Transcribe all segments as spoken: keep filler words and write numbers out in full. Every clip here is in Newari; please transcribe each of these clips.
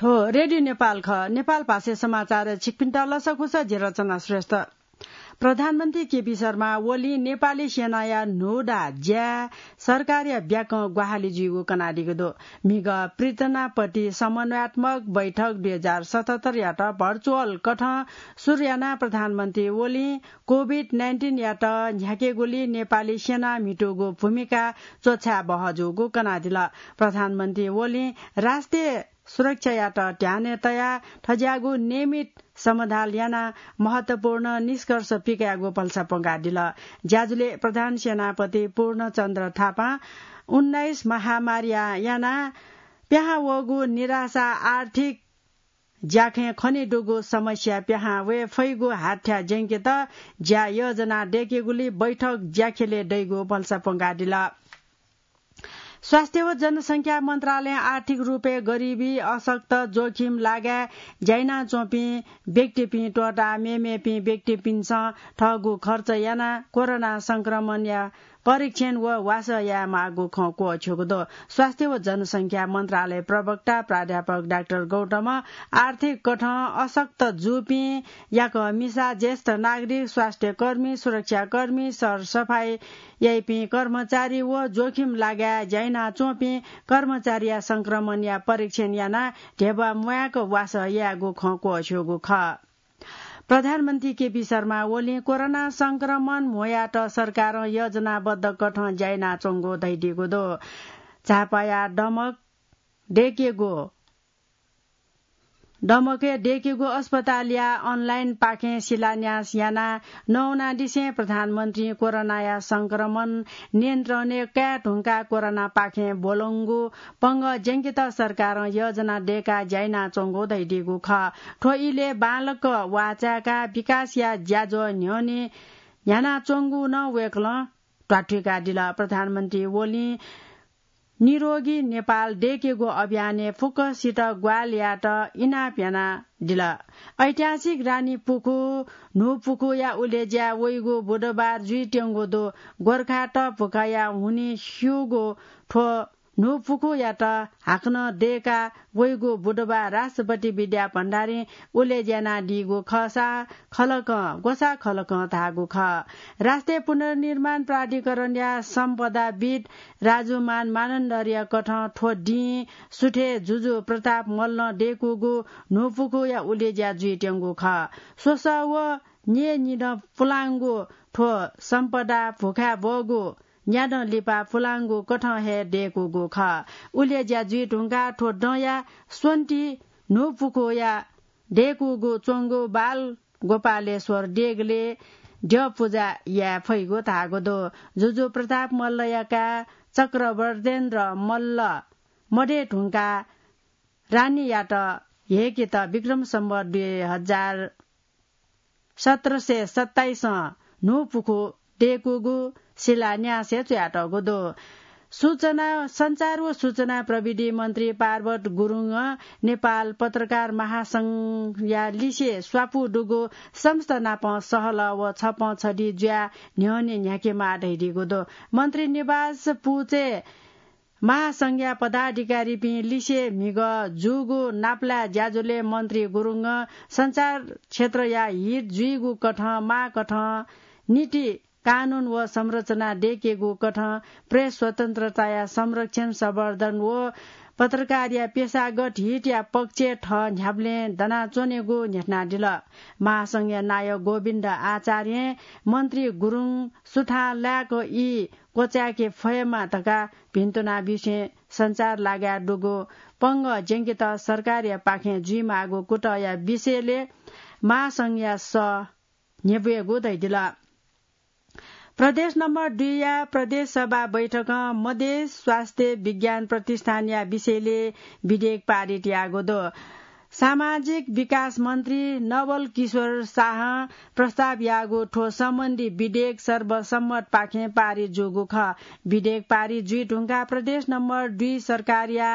हो, रेडियो नेपाल खः। नेपाल भाषाय् समाचार छिकपिन्त लसकुस, जि रचना श्रेष्ठ। प्रधानमन्त्री केपी शर्मा ओलीं नेपाली सेनाया न्हूदँ ज्याय् सरकारया ब्याकं ग्वाहालि जुइगु कनादीगु दु। म्हिगः प्रीतनापति समन्वयात्मक बैठक दुई हजार सतहत्तर यात भर्चुअल कथं सुरु यानाः प्रधानमन्त्री ओलीं कोभिड नाइन्टिन यात न्ह्याकेगुली नेपाली सेनां म्हितूगु भूमिका च्वछाये बहःजूगु कनादिल। प्रधानमन्त्री ओलीं राष्ट्रिय सुरक्षायात ध्यानय् तयाः थज्याःगु नियमित समधाल यानाः महत्वपूर्ण निष्कर्ष पिकयागु भलसा प्वंकादिल। ज्याझ्वलय् प्रधान सेनापति पूर्णचन्द्र थापां उन्नाइस महामारीया यानाः पिहां वःगु निराशा, आर्थिक ज्याखँय् खनेदुगु समस्या पिहां वये फइगु हाथ्या ज्यंकेत ज्या योजना दय्केगुली बैठक ज्याखेलय् दइगु भलसा प्वंकादिल। स्वास्थ्य व जनसंख्या मन्त्रालयं आर्थिक रूपय् गरिबी, अशक्त, जोखिम लागाय् ज्या यानाच्वंपिं व्यक्तिपिं त्वःताः मेमेपिं व्यक्तिपिन्सं थःगु खर्च यानाः कोरोना संक्रमणया परीक्षण व वासः यायेमाःगु खँ क्वःछ्यूगु दु। स्वास्थ्य व जनसंख्या मन्त्रालय प्रवक्ता प्राध्यापक डाक्टर गौतमं आर्थिक कथं अशक्त जूपिं याकःमिसा, ज्येष्ठ नागरिक, स्वास्थ्यकर्मी, सुरक्षाकर्मी, सरसफाई याइपिं कर्मचारी व जोखिम लागाय् ज्या यानाच्वंपिं कर्मचारीया संक्रमणया परीक्षण यानाः ध्यबा म्वायेक वासः यायेगु खँ क्वःछ्यूगु खः। प्रधानमन्त्री केपी शर्मा ओलीं कोरोना संक्रमण म्होयात सरकारं योजनाबद्ध कथं ज्या यानाच्वंगु धयादीगु दु। झापाया दमक दय्केगु दमकय् दय्केगु अस्पतालया अनलाइन पाखें शिलान्यास यानाः नवानादिसें प्रधानमन्त्रीं कोरोनाया संक्रमण नियन्त्रणय् काये धुंकाः कोरोना पाखें ब्वलंगु पंगः ज्यंकेत सरकारं योजना दय्काः ज्या यानाच्वंगु धयादीगु खः। थ्व इलय् बांलाक वाःचाय्काः विकासया ज्याझ्वः न्ह्यःने न्ह्यानाच्वंगु नं वय्कलं ध्वाथुइकादिल। प्रधानमन्त्री ओलीं निरोगी नेपाल दय्केगु अभियानय् फुक्कसित ग्वाहालि यायेत इनाप यानादिल। ऐतिहासिक रानीपुखू न्हूपुखूया उलेज्या वइगु बुधबार जुइत्यंगु दु। गोर्खात भुखाया हुनिं स्यूगु थ्व न्हूपुखूयात हाकनं दय्का वइगु बुधबार राष्ट्रपति विद्या भण्डारीं उलेज्या यानादीगु खःसा खलकं, ग्वसाः खलकं धाःगु खः। राष्ट्रिय पुनर्निर्माण प्राधिकरणया सम्पदाविद् राजुमान मानन्धरया कथं थ्व दिं सुथय् जुजु प्रताप मल्लं दय्कूगु न्हूपुखूया उलेज्या जुइत्यंगु खः। स्वसः व न्यय्निदँ पुलांगु थ्व सम्पदा भुखाय् ब्वःगु न्यादँ लिपा पुलांगु कथं हे दय्कूगु खः। उलेज्या जुइ धुंकाः थ्व दँया स्वन्ति न्हूपुखूया दय्कूगु च्वंगु बाल गोपालेश्वर देगलय् द्यः पुजा याये फइगु धाःगु दु। जुजु प्रताप मल्लया काय् चक्रवर्तेन्द्र मल्ल मदये धुंकाः रानीयात ह्यय्केत विक्रम सम्वत दुई हजार सत्र सय सत्ताइसं न्हूपुखू दय्कूगु शिलान्यासय् च्वयातःगु दु। सूचना, सञ्चार व सूचना प्रविधि मन्त्री पार्वत गुरुङं नेपाल पत्रकार महासंघया लिसे स्वापू दुगु संस्था नाप सहलह व छपँ छधि जुयाः न्ह्यःने न्ह्याकेमाः धयादीगु दु। मन्त्री निवास पुचय् महासंघया पदाधिकारीपिं लिसे म्हिगः जूगु नापलाये ज्याझ्वलय् मन्त्री गुरुङं सञ्चार क्षेत्रया हित जुइगु कथं माःकथं नीति कानून व संरचना दय्केगु कथं प्रेस स्वतन्त्रताया संरक्षण, संवर्धन व पत्रकारया पेशागत हितया पक्षय् थः न्ह्याबलें दनाच्वनेगु न्ह्यथनादिल। महासंघया नायः गोविन्द आचार्यं मन्त्री गुरुङ सुथां लाय्क ई क्वचाय्के फयेमा धकाः भिन्तुना विषयं सञ्चार लागाय् दुगु पंगः ज्यंकेत सरकारया पाखें जुइमाःगु कुतःया विषयलय् महासंघया सः न्ह्यब्वयेगु धयादिल। प्रदेश नम्बर दुईया प्रदेश सभा बैठकं मधेस स्वास्थ्य विज्ञान प्रतिष्ठानया विषयलय् विधेयक पारित याःगु दु। सामाजिक विकास मन्त्री नवल किशोर शाहं प्रस्ताव याःगु थ्व सम्बन्धी विधेयक सर्वसम्मतपाखें पारित जूगु खः। विधेयक पारित जुइ धुंकाः प्रदेश नम्बर दुई सरकारया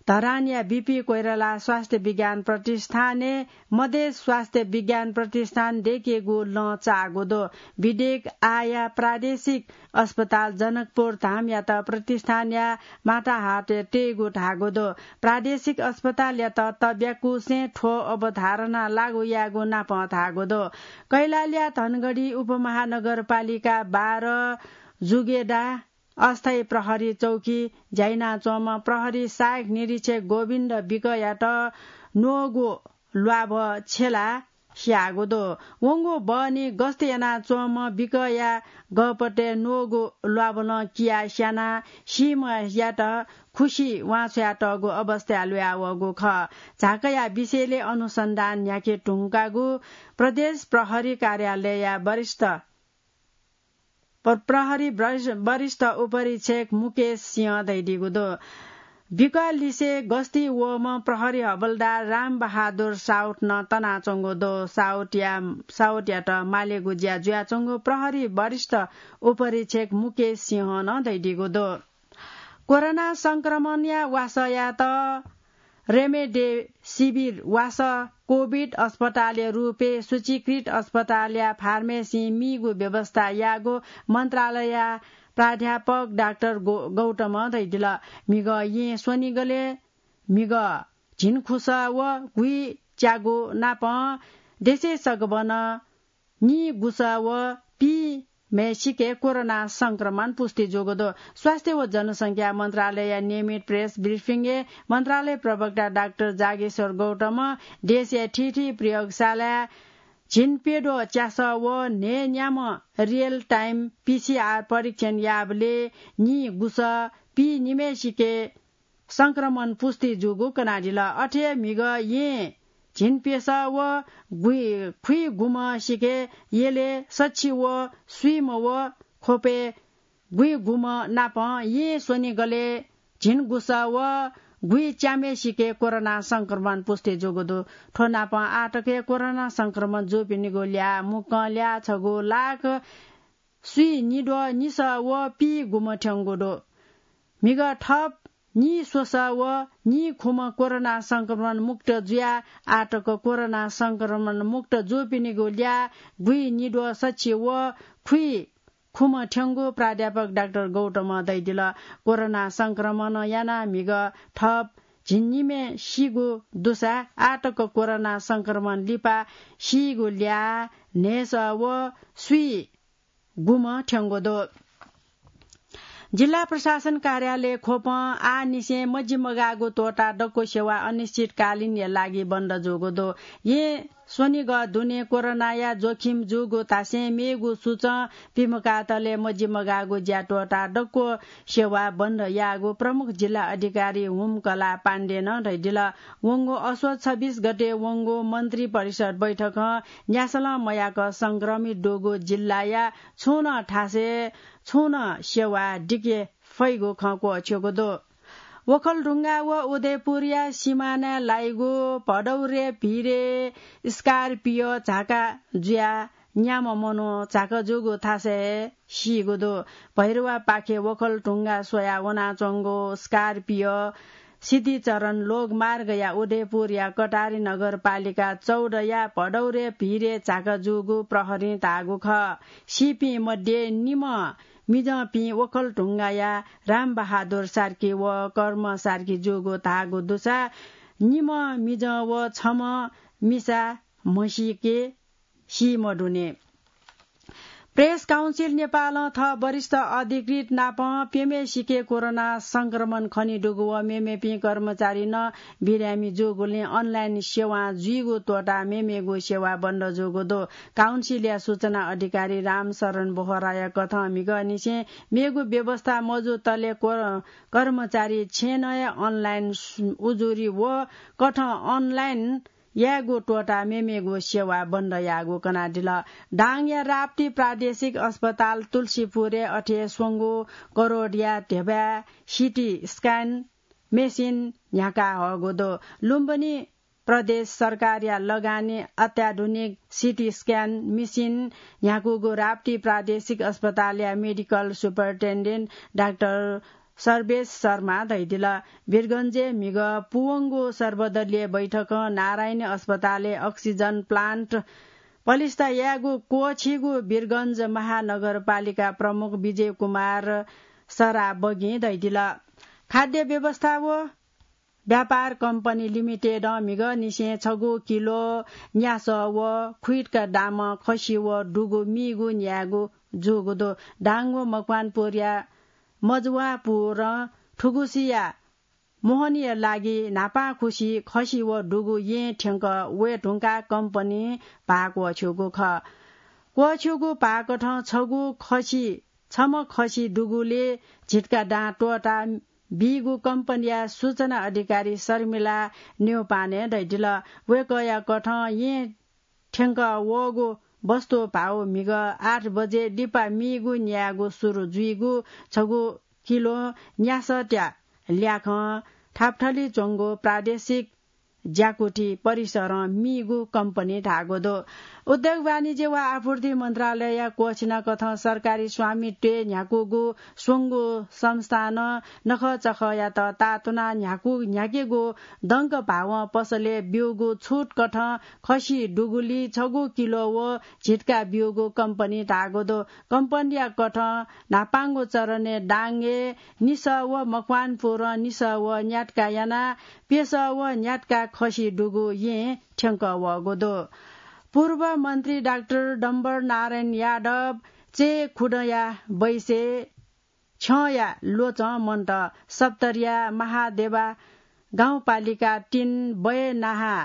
धरानया बिपी कोइराला स्वास्थ्य विज्ञान प्रतिष्ठानय् मधेस स्वास्थ्य विज्ञान प्रतिष्ठान दय्केगु लँ चाःगु दु। बिदेक आःया प्रादेशिक अस्पताल जनकपुर धामयात प्रतिष्ठानया माताहातय् तयेगु धाःगु दु। प्रादेशिक अस्पतालयात तब्याकुसें थ्व अवधारणा लागू यायेगु नापं धाःगु दु। कैलालीया धनगढी उपमहानगरपालिका बाह्र जुगेडा अस्थायी प्रहरी चौकी ज्याइनाच्वंम्ह प्रहरी सहायक निरीक्षक गोविन्द विकयात न्वःगु ल्वाभः छेला स्याःगु दु। वंगु बहनी गस्त यानाच्वंम्ह विकया गःपतय् न्वःगु ल्वाभलं किया स्यानाः सीम्हयात खुसि वांछ्वयातःगु अवस्थाय् ल्वयावःगु खः। झाँक्रीया विषयलय् अनुसन्धान न्ह्याके धुंकागु प्रदेश प्रहरी कार्यालयया वरिष्ठ प्र-, प्रहरी वरिष्ठ, वरिष्ठ उपरीक्षक मुकेश सिंह धयादीगु दु। विकलिसे गस्ती वःम्ह प्रहरी हवलदार राम बहादुर साउथ नं तनाच्वंगु दु। साउथया, साउथयात मालेगु ज्या जुयाच्वंगु प्रहरी वरिष्ठ उपरीक्षक मुकेश सिंहं नं धयादीगु दु। कोरोना संक्रमणया वासःयात रेमडेसिभिर वासः कोभिड अस्पतालया रूपय् सूचीकृत अस्पतालया फार्मेसीं मीगु व्यवस्था याःगु मन्त्रालयया प्राध्यापक डाक्टर गौ-, गौतमं धयादिल। म्हिगः येँ स्वनिगलय् म्हिगः झिंखुसः व गुइच्यागु नापं देशय् सकभनं निगुसः व पीम्हय्सिके कोरोना संक्रमण पुष्टि जूगु दु। स्वास्थ्य व जनसंख्या मन्त्रालयया नियमित प्रेस ब्रिफिङय् मन्त्रालय प्रवक्ता डाक्टर जागेश्वर गौतमं देशया थीथी प्रयोगशालाय् झिंप्यद्वः च्यासः व न्हय्न्याम्ह रियल टाइम पीसीआर परीक्षण याःबलय् निगुसः पीनिम्हय्सिके संक्रमण पुष्टि जूगु कनादिल। अथे म्हिगः येँ झिंप्यसः व गुइ-, खुइगुम्हसिके यलय् सछि व स्वीम्ह व ख्वपय् गुइगुम्ह नापं येँ स्वनिगलय् झिंगुसः व गुइच्याम्हय्सिके कोरोना संक्रमण पुष्टि जूगु दु। थ्व नापं आःतक हे कोरोना संक्रमण जूपिनिगु ल्याः मुक्कं ल्याः छगू लाख स्वीनिद्वः निसः व पीगुम्ह थ्यंगु दु। म्हिगः थप निस्वसः व निखुम्ह कोरोना संक्रमण मुक्त जुयाः आःतक कोरोना संक्रमण मुक्त जूपिनिगु ल्याः गुइनिद्वः सछि व खुइखुम्ह थ्यंगु प्राध्यापक डाक्टर गौतमं धयादिल। कोरोना संक्रमणं यानाः म्हिगः थप झिंनिम्हय् सीगु दुसा आःतक कोरोना संक्रमण लिपा सीगु ल्याः न्हय्सः व स्वीगुम्ह थ्यंगु दु। जिल्ला प्रशासन कार्यालय ख्वपं आःनिसें मजिमगाःगु त्वःताः दक्व सेवा अनिश्चितकालीनया लागि बन्द जूगु दु। येँ स्वनिगः दुने कोरोनाया जोखिम जूगु धासें मेगु सूचं पिमकातले मजिमगाःगु ज्या त्वःताः दक्व सेवा बन्द याःगु प्रमुख जिल्ला अधिकारी हुमकला पाण्डेनं धयादिल। वंगु असोज छब्बीस गते वंगु मन्त्री परिषद बैठकं न्यासलं मयाक संक्रमित दुगु जिल्लाया छुं नं थासय् छुं नं सेवा दिके फइगु खँ क्वःछ्यूगु दु। ओखलढुङ्गा व उदयपुरया सिमानाय् लाइगु भदौरे भिरे स्कर्पियो झाका जुयाः न्याम्ह मनू झाका जूगु थासय् सीगु दु। भैरवापाखे ओखलढुङ्गा स्वयाः वनाच्वंगु स्कर्पियो सिद्धिचरण लोकमार्गया उदयपुरया कटारी नगरपालिका चौधया भदौरे भिरे झाका जूगु प्रहरीं धाःगु खः। सीपिं मध्ये निम्ह मिजंपिं ओखलढुङ्गाया रामबहादुर सार्की व कर्म सार्की जूगु धाःगु दुसा निम्ह मिजं व छम्ह मिसा म्हसीके सी मदुनि। प्रेस काउन्सिल नेपालं थः वरिष्ठ अधिकृत नाप प्यम्हेसिके कोरोना संक्रमण खनेदुगु व मेमेपिं कर्मचारी नं बिरामी जूगुलिं अनलाइन सेवां जुइगु त्वःताः मेमेगु सेवा बन्द जूगु दु। काउन्सिलया सूचना अधिकारी रामशरण बोहराया कथं म्हिगःनिसें मेगु व्यवस्था मजूतले क्व-, कर्मचारी छेँनं हे अनलाइन सु-, उजुरी व कथं अनलाइन यायेगु त्वःताः मेमेगु सेवा बन्द याःगु कनादिल। दाङया राप्ती प्रादेशिक अस्पताल तुलसीपुरय् अथे स्वंगू करोडया धेबा सिटी स्क्यान मेसिन न्ह्याका हःगु दु। लुम्बिनी प्रदेश सरकारया लगानी अत्याधुनिक सिटी स्क्यान मेसिन न्ह्याकूगु राप्ती प्रादेशिक अस्पतालया मेडिकल सुपरिन्टेन्डेन्ट डाक्टर सर्वेश शर्मा धैदिल। वीरगंजय् म्हिगः पूवंगु सर्वदलीय बैठकं नारायणी अस्पतालय् oxygen plant पलिस्था यायेगु क्वःछिगु वीरगंज महानगरपालिका प्रमुख विजय कुमार सराबगिं धैदिल। खाद्य व्यवस्था व व्यापार कम्पनी लिमिटेडं म्हिगःनिसें छगू किलो न्यासः व खुइटका दामं खसि व दुगु मीगु न्यायेगु जूगु दु। दाङ व मकवानपुरया मजुवापुरं थुगुसिया मोहनीया लागि न्हापांखुसि खसि व दुगु येँ थ्यंक वये धुंकाः कम्पनी भाः क्वःछ्यूगु खः। क्वःछ्यूगु भाःकथं छगू खसि, छम्ह खसि दुगुलिइ झिटका दां त्वःता बीगु कम्पनीया सूचना अधिकारी शर्मिला न्यौपाने धैदिल। वय्कःया कथं येँ थ्यंक वःगु वस्तु भाउ म्हिगः आठ बजे लिपा मीगु न्यायेगु सुरु जुइगु छगू किलो न्यासःया ल्याखं थापथली च्वंगु प्रादेशिक ज्याकुथि परिसरं मीगु कम्पनी धाःगु दु। उद्योग वाणिज्य व आपूर्ति मन्त्रालयया क्वःछिनाकथं सरकारी स्वामित्वय् न्ह्याकूगु स्वंगू संस्थानं नखःचखःयात ताःतुनाः न्ह्याकू, न्ह्याकेगु दंक भावं पसलय् ब्यूगु छुटकथं खसि दुगुलिइ छगू किलो व झिटका ब्यूगु कम्पनी धाःगु दु। कम्पनीया कथं न्हापांगु चरणय् दाङय् निसः व मकवानपुरं निसः व न्यातका यानाः प्यसः व न्यातका खसि दुगु येँ थ्यंक वःगु दु। पूर्व मन्त्री डाक्टर डम्बर नारायण यादव चय्खुदँया बैसे छ्यंया ल्वचं मन्त सप्तरीया महादेवा गाउँपालिका तीन बय्नाहा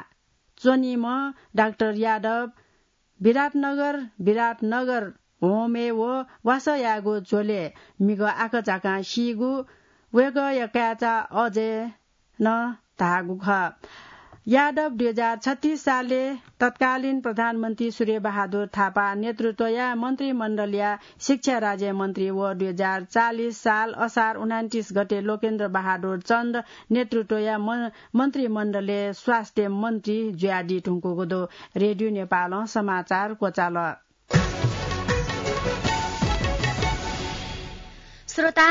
च्वनीम्ह डाक्टर यादव विराटनगर, विराटनगर होमय् व वासः यायेगु झ्वलय् म्हिगः आकाझाकां सीगु वय्कःया काय्चा अजयं धाःगु खः। यादव दुई हजार छत्तीस सालय् तत्कालीन प्रधानमन्त्री सूर्यबहादुर थापा नेतृत्वया मन्त्रीमण्डलया शिक्षा राज्यमन्त्री व दुई हजार चालिस साल असार उनान्तिस गते लोकेन्द्र बहादुर चन्द नेतृत्वया म-, मन्त्रीमण्डलय् स्वास्थ्य मन्त्री जुयादी धुंकूगु दु। रेडियो नेपालं समाचार क्वचाल। श्रोता,